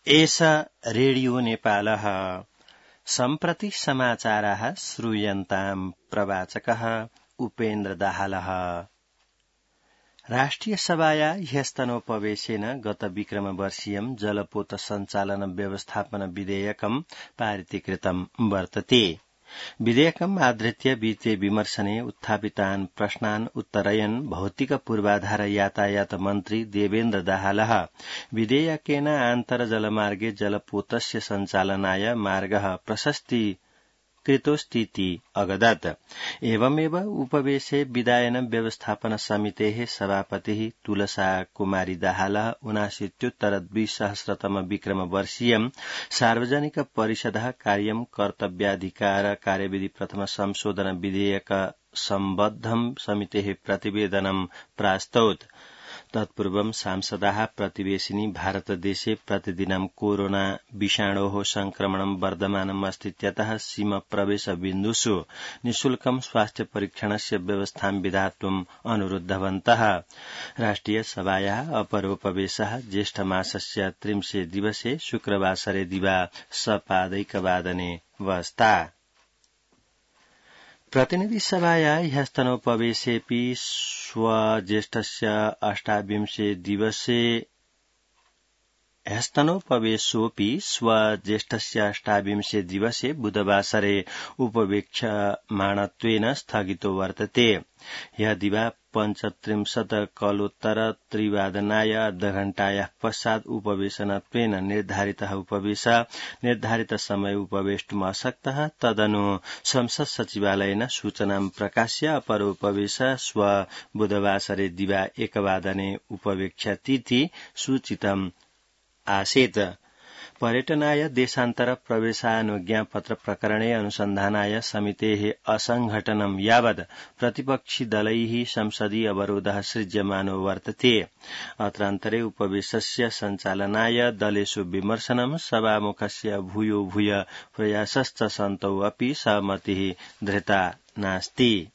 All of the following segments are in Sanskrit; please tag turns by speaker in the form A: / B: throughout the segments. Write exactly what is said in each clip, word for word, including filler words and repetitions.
A: एषा रेडियो नेपालः सम्प्रति समाचाराः श्रूयन्ताम् प्रवाचकः उपेन्द्र दाहालः। राष्ट्रिय सभाया ह्यस्तनोपवेशेन गत विक्रमवर्षीयं जलपोत सञ्चालन व्यवस्थापन विधेयकं पारितीकृतं वर्तते। विधेयकम् आधृत्य वित्तीय विमर्शने उत्थापितान् प्रश्नान् उत्तरयन् भौतिक पूर्वाधार यातायात मन्त्री देवेन्द्र दाहालः विधेयकेन आन्तर्जलमार्गे जलपोतस्य सञ्चालनाय मार्गः प्रशस्ती कृतोस्तीति अगदत्। एवमेव उपवेशे विधायन व्यवस्थापन समितेः सभापतिः तुलसा कुमारी दाहालः ऊनाशीत्युत्तर द्विसहस्रतम विक्रमवर्षीयं सार्वजनिक परिषदः कार्यं कर्तव्याधिकार कार्यविधि प्रथम संशोधन विधेयक सम्बद्धं समितेः प्रतिवेदनं प्रास्तौत्। तत्पूर्वं सांसदाः प्रतिवेशिनी भारतदेशे प्रतिदिनं कोरोना विषाणोः संक्रमणं वर्धमानम् अस्तीत्यतः सीमा प्रवेश बिन्दुषु निःशुल्कं स्वास्थ्य परीक्षणस्य व्यवस्थां विधातुम् अनुरुद्धवन्तः। राष्ट्रिय सभायाः अपरोपवेशः ज्येष्ठमासस्य त्रिंशे दिवसे शुक्रवासरे दिवा सपादैकवादने वस्ता। प्रतिनिधि सभाया ह्यस्तनोपवेशेऽपि स्वज्येष्ठस्य अष्टाविंशे दिवसे ह्यस्तनोपवेशोऽपि स्वज्येष्ठस्य अष्टाविंशे दिवसे बुधवासरे उपवेक्ष्यमाणत्वेन स्थगितो वर्तते। ह्य दिवा पञ्चत्रिंशत् कलोत्तर त्रिवादनाय अर्धघण्टायाः पश्चात् उपवेशनत्वेन निर्धारितः उपवेश निर्धारित समय उपवेष्टुम् अशक्तः। तदनु संसद सचिवालयेन सूचनां प्रकाश्य अपरोपवेश श्व बुधवासरे दिवा एकवादने उपवेक्ष्यतीति सूचितम् आसीत्। पर्यटनाय देशान्तर प्रवेशानुज्ञापत्र प्रकरणे अनुसन्धानाय समितेः असंघटनं यावत् प्रतिपक्षि दलैः संसदीय अवरोधः सृज्यमानो वर्तते। अत्रान्तरे उपवेशस्य सञ्चालनाय दलेषु विमर्शनं सभामुखस्य भूयो भूय प्रयासश्च सन्तौ अपि सहमतिः धृता नास्ति।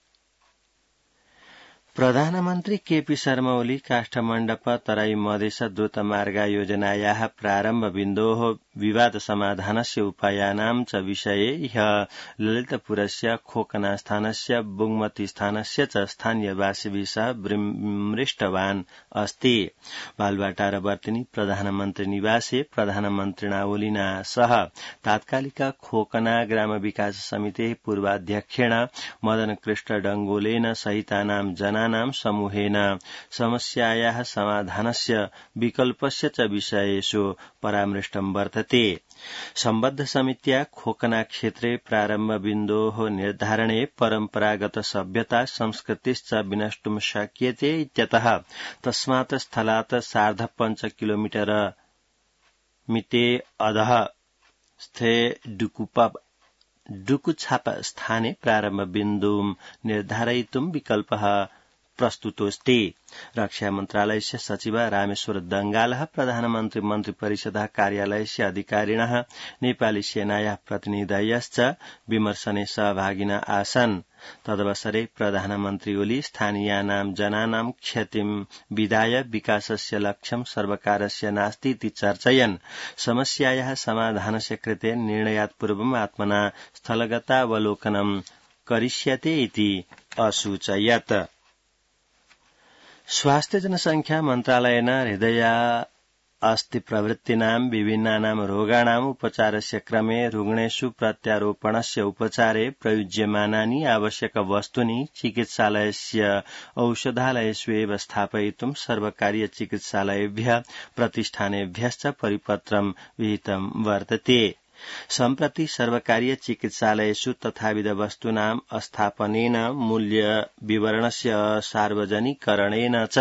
A: प्रधानमन्त्री केपी शर्मा ओली काष्ठमण्डप तराई मधेस द्रुतमार्ग योजनायाः प्रारम्भबिन्दोः विवाद समाधानस्य उपायानां च विषये ह्य ललितपुरस्य खोकनास्थानस्य बुङ्मतीस्थानस्य च स्थानीयवासिभिः सह मृष्टवान् अस्ति। बालुवाटारवर्तिनी प्रधानमन्त्री निवासे प्रधानमन्त्रिणा ओलिना सह तात्कालिक खोकना ग्राम विकास समितेः पूर्वाध्यक्षेण मदन कृष्ण डंगोलेन सहितानां जना नाम समूहेन समस्यायाः समाधानस्य विकल्पस्य च विषयेषु परामृष्टं वर्तते। सम्बद्ध समित्या खोकना क्षेत्रे प्रारम्भबिन्दोः निर्धारणे परम्परागत सभ्यता संस्कृतिश्च विनष्टुं शक्यते इत्यतः तस्मात् स्थलात् सार्ध पञ्च किलोमीटर मिते अधः स्थे डुकुपा डुकुछाप स्थाने प्रारम्भबिन्दुं निर्धारयितुं विकल्पः प्रस्तुतोऽस्ति। रक्षा मन्त्रालयस्य सचिव रामेश्वर दंगालः प्रधानमन्त्री मन्त्रिपरिषदः कार्यालयस्य अधिकारिणः नेपाली सेनायाः प्रतिनिधयश्च विमर्शने सहभागिनः आसन्। तदवसरे प्रधानमन्त्री ओली स्थानीयानां जनानां क्षतिं विधाय विकासस्य लक्ष्यं सर्वकारस्य नास्ति इति चर्चयन् समस्यायाः समाधानस्य कृते निर्णयात् पूर्वम् आत्मना स्थलगतावलोकनं करिष्यते इति असूचयत्। स्वास्थ्य जनसंख्या मन्त्रालयेन हृदय अस्ति प्रवृत्तीनां विभिन्नानां रोगाणाम् उपचारस्य क्रमे रुग्णेषु प्रत्यारोपणस्य उपचारे प्रयुज्यमानानि आवश्यक वस्तूनि चिकित्सालयस्य औषधालयेषु एव स्थापयितुं सर्वकारीय चिकित्सालयेभ्यः प्रतिष्ठानेभ्यश्च परिपत्रं विहितं वर्तते। सम्प्रति सर्वकारीय चिकित्सालयेषु तथाविध वस्तूनां स्थापनेन मूल्य विवरणस्य सार्वजनिकरणेन च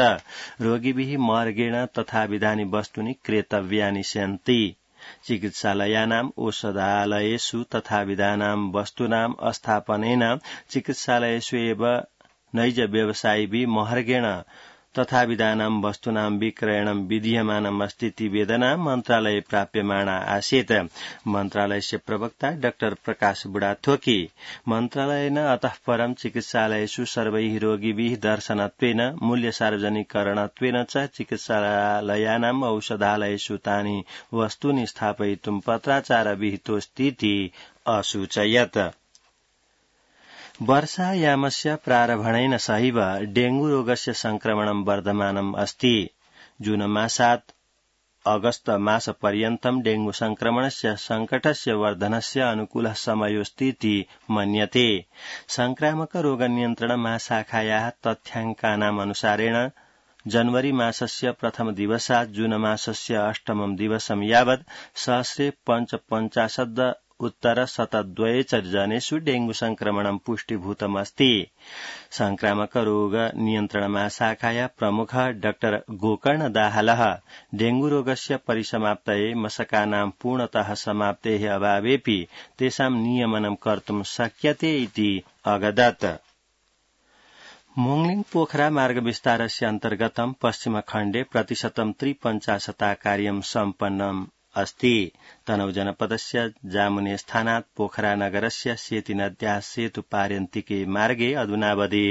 A: रोगिभिः मार्गेण तथाविधानि वस्तूनि क्रेतव्यानि सन्ति। चिकित्सालयानाम् औषधालयेषु तथाविधानां वस्तूनां स्थापनेन चिकित्सालयेषु एव नैज व्यवसायिभिः मार्गेण तथाविधानां वस्तूनां विक्रयणं विधीयमानम् अस्ति इति वेदना मन्त्रालये प्राप्यमाणा आसीत्। मन्त्रालयस्य प्रवक्ता डाक्टर प्रकाश बुढाथोकी मन्त्रालयेन अतः परं चिकित्सालयेषु सर्वैः रोगिभिः दर्शनत्वेन मूल्य सार्वजनिकरणत्वेन च चिकित्सालयानाम् औषधालयेषु तानि वस्तूनि स्थापयितुं पत्राचार विहितोऽस्तीति असूचयत्। वर्षायामस्य प्रारम्भेन सहैव डेंगू रोगस्य संक्रमणं वर्धमानम् अस्ति। जून मासात् अगस्त मासपर्यन्तं डेंगू संक्रमणस्य संकटस्य वर्धनस्य अनुकूलः समयोऽस्तीति मन्यते। संक्रामक रोग नियन्त्रण महाशाखायाः तथ्याङ्कानाम् अनुसारेण जनवरी मासस्य प्रथम दिवसात् जून मासस्य अष्टमं दिवसं यावत् सहस्रे पञ्चपञ्चाशत् उत्तर शतद्वये च जनेषु डेंगू संक्रमणं पुष्टीभूतमस्ति। संक्रामक रोग नियन्त्रण महाशाखाया प्रमुख डाक्टर गोकर्ण दाहालः डेंगू रोगस्य परिसमाप्तये मशकानां पूर्णतः समाप्तेः अभावेऽपि तेषां नियमनं कर्तुं शक्यते इति अगदत्। मोङलिङ पोखरा मार्ग विस्तारस्य अन्तर्गतं पश्चिमखण्डे प्रतिशतं त्रिपञ्चाशता कार्यं सम्पन्नम् अस्ति। तनहु जनपदस्य जामुने स्थानात् पोखरा नगरस्य सेती नद्याः सेतु पार्यन्तिके मार्गे अधुनावधि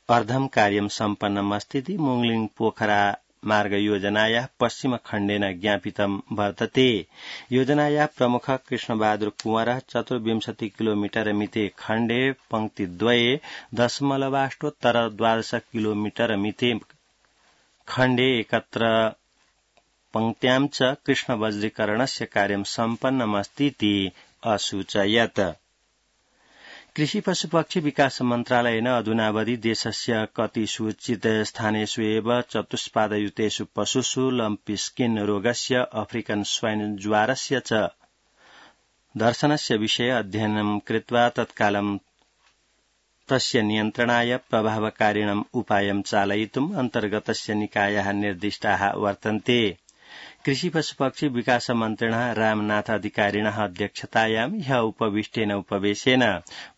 A: अर्धं कार्यं सम्पन्नम् अस्ति। मोङलिङ पोखरा मार्ग योजनायाः पश्चिमखण्डेन ज्ञापितं वर्तते। योजनायाः प्रमुख कृष्णबहादुर कुंवरः चतुर्विंशति किलोमीटर मिते खण्डे पंक्तिद्वये दशमलवाष्टोत्तर द्वादश किलोमीटर मिते खण्डे एकत्र पंक्त्यां च कृष्ण वज्रीकरणस्य कार्यं सम्पन्नमस्तीति असूचयत्। कृषि पशुपक्षी विकास मन्त्रालयेन अधुनावधि देशस्य कति सूचित स्थानेषु एव चतुष्पादयुतेषु पशुषु लम्पी स्किन रोगस्य अफ्रिकन स्वाइन ज्वारस्य च दर्शनस्य विषये अध्ययनं कृत्वा तत्कालं तस्य नियन्त्रणाय प्रभावकारिणम् उपायं चालयितुम् अन्तर्गतस्य निकायाः निर्दिष्टाः वर्तन्ते। कृषि पशुपक्षी विकास मन्त्रिणः रामनाथ अधिकारिणः अध्यक्षतायां ह्यः उपविष्टेन उपवेशेन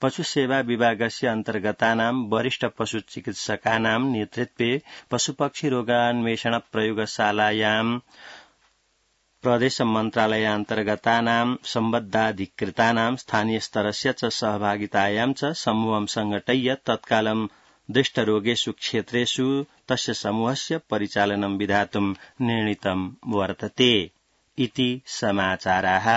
A: पशुसेवा विभागस्य अन्तर्गतानां वरिष्ठ पशुचिकित्सकानां नेतृत्वे पशुपक्षी रोगान्वेषण प्रयोगशालायां प्रदेश मन्त्रालयान्तर्गतानां सम्बद्धाधिकृतानां स्थानीय स्तरस्य च सहभागितायां च समूहं संघटय्य तत्कालं दृष्टरोगेषु क्षेत्रेषु तस्य समूहस्य परिचालनं विधातुं निर्णीतं वर्तते इति समाचाराः।